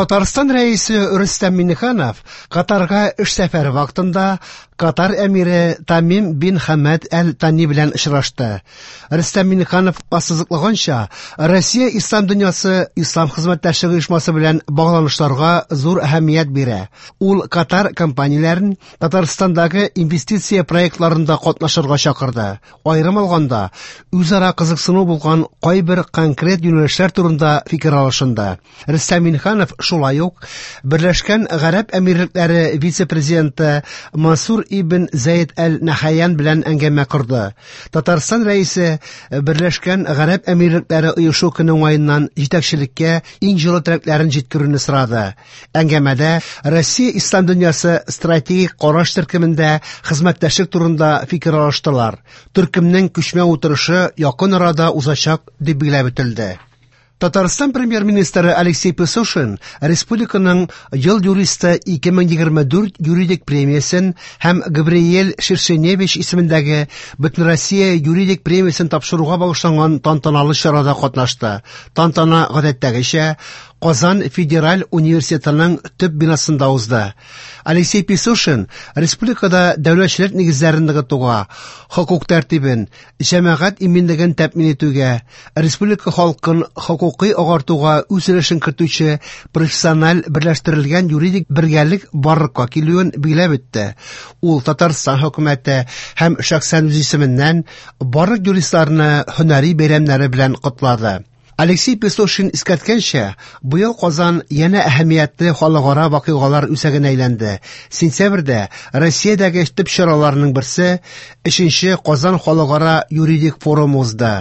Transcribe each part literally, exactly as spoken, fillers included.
Татарстан Рәисе Рөстәм Миңнеханов Катарга эш сәфәре вакытында Катар әмире Тамим бин Хамад әл-Тани белән очрашты. Рөстәм Миңнеханов ассызыклаганча, Россия ислам дөньясы ислам хезмәттәшлеге оешмасы белән багланышларга зур әһәмият бирә. Ул Катар компанияләрен Татарстандагы инвестиция проектларында катнашырга чакырды. Аерым алганда, үзара кызыксыну булган кайбер конкрет юнәлешләр турында фикер алышынды. Рөстәм Миңнеханов шулай ук Берләшкән Гарәп Әмирлекләре вице-президенты Мансур ибн Зәйд әл-Нахаян белән әңгәмә корды. Татарстан Рәисе Берләшкән Гарәп Әмирлекләре оешу көне уңаеннан җитәкчелеккә иң җылы теләкләрен җиткерүне сорады. Әңгәмәдә Россия ислам дөньясы стратегик караш төркемендә хезмәттәшлек турында фикер алыштылар. Төркемнең күчмә утырышы якын арада узачак дип билгеләп үтелде. Татарстан премьер-министры Алексей Песошин республиканың ел юристы ике мең егерме дүрт юридик премиясен һәм Габриэль Шершеневич исемендәге Бөтенроссия юридик премиясен тапшыруга багышланган тантаналы чарада катнашты. Тантана гадәттәгечә Казан федераль университетының төп бинасында узды. Алексей Песошин республикада дәүләтчелек нигезләрен ныгытуга, хокук тәртибен, җәмәгать иминлеген тәэмин итүгә, республика халкын хокукый агартуга үз өлешен кертүче профессиональ берләштерелгән юридик бергәлек барлыкка килүен билгеләп үтте. Ул Татарстан хөкүмәте һәм шәхсән үз исеменнән барлык юристларны һөнәри бәйрәмнәре белән котлады. Алексей Песошин искәрткәнчә, быел Казан янә әһәмиятле халыкара вакыйгалар үзәгенә әйләнде. Сентябрьдә Россиядәге төп чараларның берсе өченче Казан халыкара юридик форумы узды.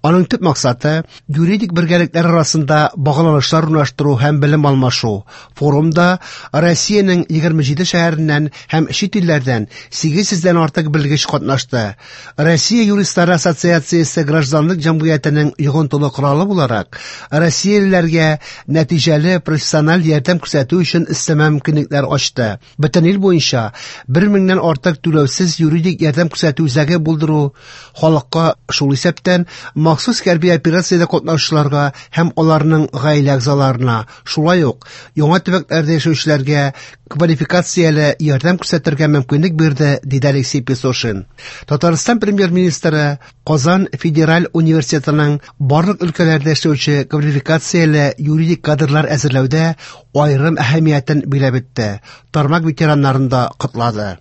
Аның төп максаты юридик бергәлекләр арасында багланышлар урнаштыру һәм белем алмашу. Форумда Россиянең егерме җиде шәһәреннән һәм чит илләрдән сигез йөздән артык белгеч катнашты. Россия юристлары ассоциациясе гражданлык җәмгыятенең йогынтылы коралы буларак россиялеләргә нәтиҗәле профессиональ ярдәм күрсәтү өчен өстәмә мөмкинлекләр ачты. Бөтен ил буенча бер меңнән артык түләүсез юридик ярдәм күрсәтү үзәге булдыру халыкка, шул исәптән махсус хәрби операциядә катнашучыларга һәм аларның гаилә әгъзаларына, шулай ук яңа төбәкләрдә яшәүчеләргә квалификацияле ярдәм күрсәтергә мөмкинлек бирде, диде Алексей Песошин. Татарстан премьер-министры Казан федераль университетының барлык өлкәләрдә эшләүче квалификацияле юридик кадрлар әзерләүдә аерым әһәмиятен билгеләп үтте. Тармак ветераннарын да котлады.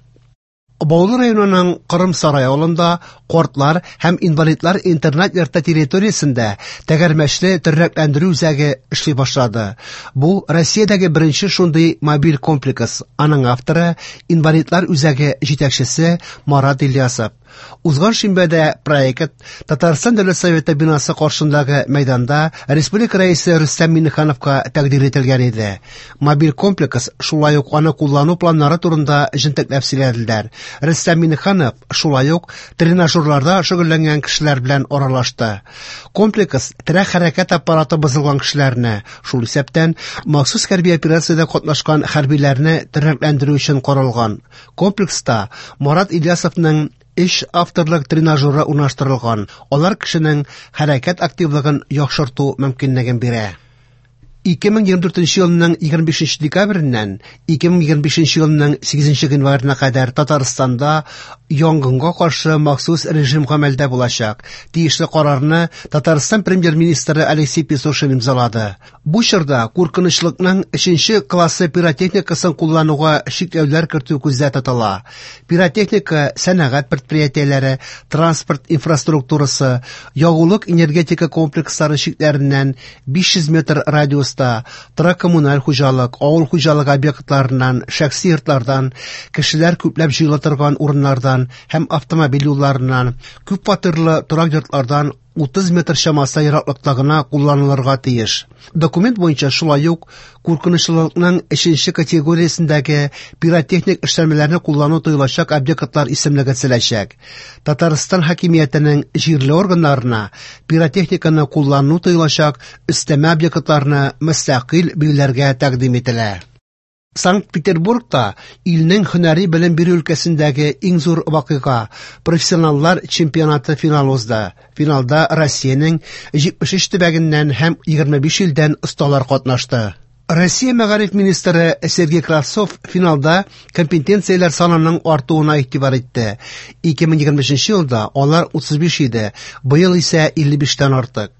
Баулы районының Кырым сарай авылында картлар һәм инвалидлар интернат йорты территориясендә тәгәрмәчле тернәкләндерү үзәге эшли башлады. Бу Россиядәге беренче шундый мобиль комплекс. Аның авторы инвалидлар үзәге җитәкчесе Марат Ильясов. Узган шимбәдә проект Татарстан Дәүләт Советы бинасы каршындагы мәйданда республика рәисе Рөстәм Миңнехановка тәкъдир ителгән иде. Мобиль комплекс шулай ук аны куллану планнары турында җентекләп сөйләделәр. Рөстәм Миңнеханов шулай ук тренажерларда шөгыльләнгән кешеләр белән аралашты. Комплекс терәк хәрәкәт аппараты бозылган кешеләрне, шул исәптән махсус хәрби операциядә катнашкан хәрбиләрне тернәкләндерү өчен каралган. Комплекста Марат Ильясовның өч авторлык тренажеры урнаштырылган. Алар кешенең хәрәкәт активлыгын яхшырту мөмкинлеген бирә. Ике мең егерме дүртенче елның егерме бишенче декабреннән ике мең егерме бишенче елның сигезенче гыйнварына кадәр Татарстанда янгынга каршы махсус режим гамәлдә булачак. Тиешле карарны Татарстан премьер-министры Алексей Песошин имзалады. Бу чорда куркынычлыкның өченче классы пиротехникасын куллануга чикләүләр кертү күздә тотыла. Пиротехника сәнәгать предприятиеләре, транспорт инфраструктурасы, ягулык энергетика комплекслары чикләреннән биш йөз метр радиус торак коммуналь хуҗалык, авыл хуҗалык объектларыннан, шәхси йортлардан, кешеләр күпләп җыела торган урыннардан һәм автомобиль юлларыннан, күп фатирлы торак йортлардан утыз метр чамасы ераклыкта гына кулланылырга тиеш. Документ буенча шулай ук куркынычлылыкның өченче категориясендәге пиротехник эшләнмәләрне куллану тыелачак объектлар исемлеге төзеләчәк. Татарстан хакимиятенең җирле органнарына пиротехниканы куллану тыелачак өстәмә объектларны мөстәкыйль билгеләргә тәкъдим ителә. Санкт-Петербургта илнең һөнәри белем бирү өлкәсендәге иң зур вакыйга профессионаллар чемпионаты финал узды. Финалда Россиянең җитмеш өч төбәгеннән һәм егерме биш илдән осталар катнашты. Россия мәгариф министры Сергей Кравцов финалда компетенцияләр санының артуына игътибар итте. ике мең егерме өченче елда алар утыз биш иде, быел исә илле биштән артык.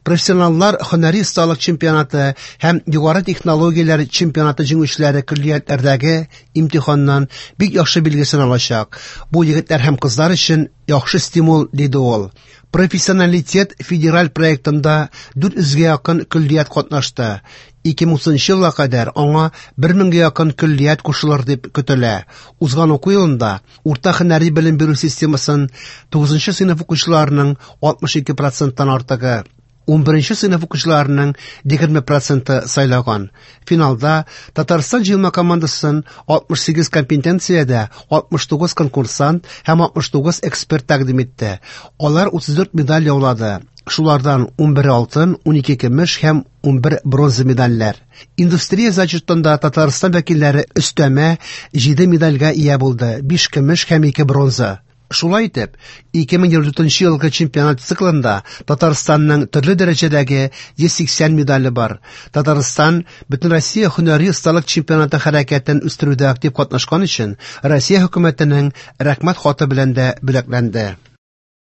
Профессионаллар һөнәри осталык чемпионаты һәм югары технологияләр чемпионаты җиңүчеләре көллиятләрдәге имтиханнан бик яхшы билгесен алачак. Бу егетләр һәм кызлар өчен яхшы стимул, диде ул. Профессионалитет федераль проектында дүрт йөзгә якын көллият катнашты. ике мең утызынчы елга кадәр аңа бер меңгә якын көллият кушылыр дип көтелә. Узган уку елында урта һөнәри белем бирү системасын тугызынчы сыйныф укучыларының алтмыш ике проценттан артыгы, ун беренче сыйныф укучыларының егерме проценты сайлаган. Финалда Татарстан җыелма командасын алтмыш сигез компетенциядә алтмыш тугыз конкурсант һәм алтмыш тугыз эксперт тәкъдим итте. Алар утыз дүрт медаль яулады. Шулардан ун бер алтын, ун ике көмеш һәм ун бер бронза медальләр. Индустрия зачетында Татарстан вәкилләре өстәмә җиде медальгә ия булды, биш көмеш һәм ике бронза. Шулай итеп, ике мең егерме дүртенче елгы чемпионат циклында Татарстанның төрле дәрәҗәдәге йөз сиксән медале бар. Татарстан Бөтенроссия һөнәри осталык чемпионаты хәрәкәтен үстерүдә актив катнашкан өчен Россия хөкүмәтенең рәхмәт хаты белән дә бүләкләнде.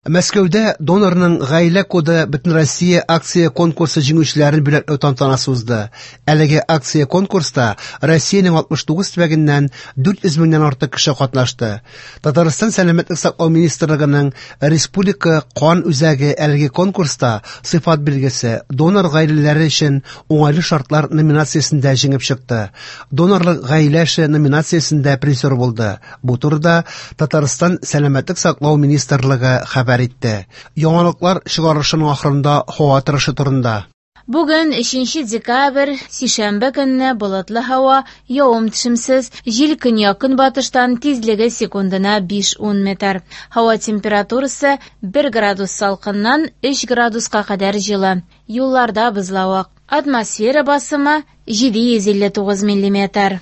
Мәскәүдә донорның гаилә коды Бөтенроссия акция конкурсы җиңүчеләрен бүләкләү тантанасы узды. Әлеге акция конкурста Россиянең алтмыш тугыз төбәгеннән дүрт йөз меңнән артык кеше катнашты. Татарстан Сәламәтлек саклау министрлыгының Республика кан үзәге әлеге конкурста сыйфат билгесе донор гаиләләре өчен уңайлы шартлар номинациясендә җиңеп чыкты. Донорлык гаилә эше номинациясендә призер булды. Бу турыда Татарстан Сәламәтлек саклау министрлыгы хәбәр итте. Яңалыклар чыгарылышының ахырында һава торышы турында. Бүген өченче декабрь, сишәмбе көнне болытлы һава, явым-төшемсез, җил көньяк-көнбатыштан тизлеге секундына биш-ун метр. Һава температурасы бер градус салкыннан өч градуска кадәр җылы. Юлларда бозлавык. Атмосфера басымы җиде йөз илле тугыз миллиметр.